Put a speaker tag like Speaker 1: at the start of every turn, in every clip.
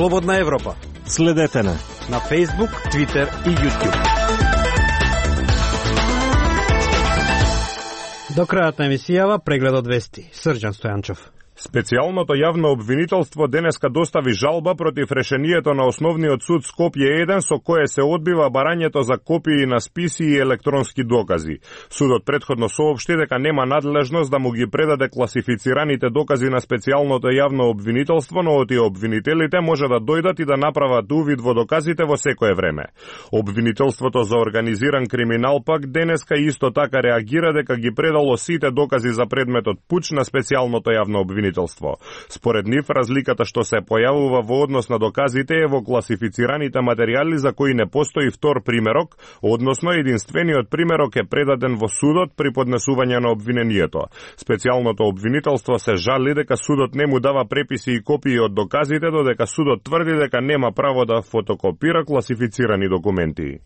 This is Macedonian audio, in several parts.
Speaker 1: Слободна Европа.
Speaker 2: Следете на
Speaker 1: Facebook, Twitter и YouTube. До крајот на емисијава преглед од вести. Срđan Стојанчов.
Speaker 3: Специјалното јавно обвинителство денеска достави жалба против решението на Основниот суд Скопје 1 со кое се одбива барањето за копии на списи и електронски докази. Судот претходно соопшти дека нема надлежност да му ги предаде класифицираните докази на специјалното јавно обвинителство, но од обвинителите може да дојдат и да направат увид во доказите во секое време. Обвинителството за организиран криминал пак денеска исто така реагира дека ги предало сите докази за предметот пуч на специјалното јавно обвинителство. Според нив, разликата што се појавува во однос на доказите е во класифицираните материјали за кои не постои втор примерок, односно единствениот примерок е предаден во судот при поднесување на обвинението. Специјалното обвинителство се жали дека судот не му дава преписи и копии од доказите, додека судот тврди дека нема право да фотокопира класифицирани документи.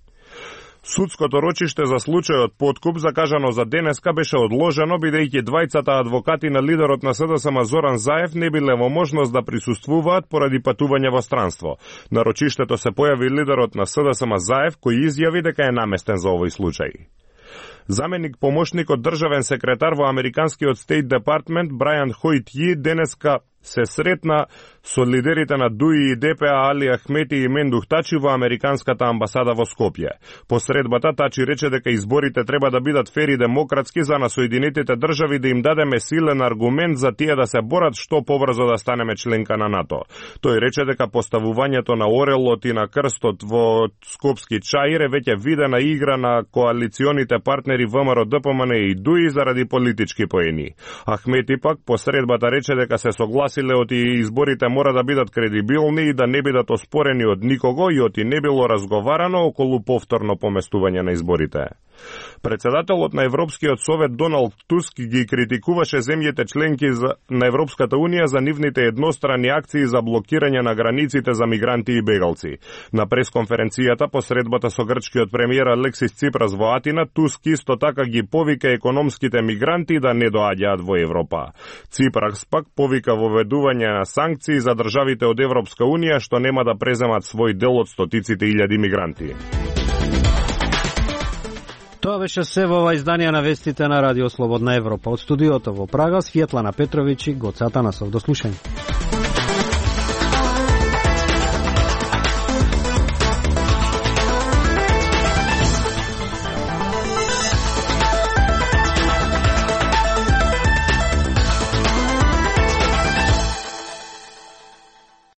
Speaker 3: Судското рочиште за случајот подкуп, закажано за денеска, беше одложено, бидејќи двајцата адвокати на лидерот на СДСМ Зоран Заев не биле во можност да присуствуваат поради патување во странство. На рочиштето се појави лидерот на СДСМ Заев, кој изјави дека е наместен за овој случај. Заменик помошникот државен секретар во Американскиот Стейт Департмент Брајан Хојт денеска се сретна со лидерите на ДУИ и ДПА Али Ахмети и Мендух Тачи во Американската амбасада во Скопје. По средбата Тачи рече дека изборите треба да бидат фер и демократски за на Соединетите држави да им дадеме силен аргумент за тие да се борат што побрзо да станеме членка на НАТО. Тој рече дека поставувањето на орелот и на крстот во Скопски чаир е веќе видена игра на коалиционите партнери ВМРО, ДПМН и ДУИ заради политички поени. Ахмети пак по средбата рече дека се согласиле оти изборите мора да бидат кредибилни и да не бидат оспорени од никого и оти не било разговарано околу повторно поместување на изборите. Председателот на Европскиот совет Доналд Туск ги критикуваше земјите членки на Европската унија за нивните едностранни акции за блокирање на границите за мигранти и бегалци. На пресконференцијата по средбата со грчкиот премиер Алексис Ципрас во Атина, Туск исто така ги повика економските мигранти да не доаѓаат во Европа. Ципрас пак повика воведување на санкции за државите од Европска унија што нема да преземат свој дел од стотиците илјади мигранти.
Speaker 1: Тоа беше се во ова изданија на вестите на Радио Слободна Европа. Од студиото во Прага, Светлана Петровиќ и Гоце Атанасов. До слушање.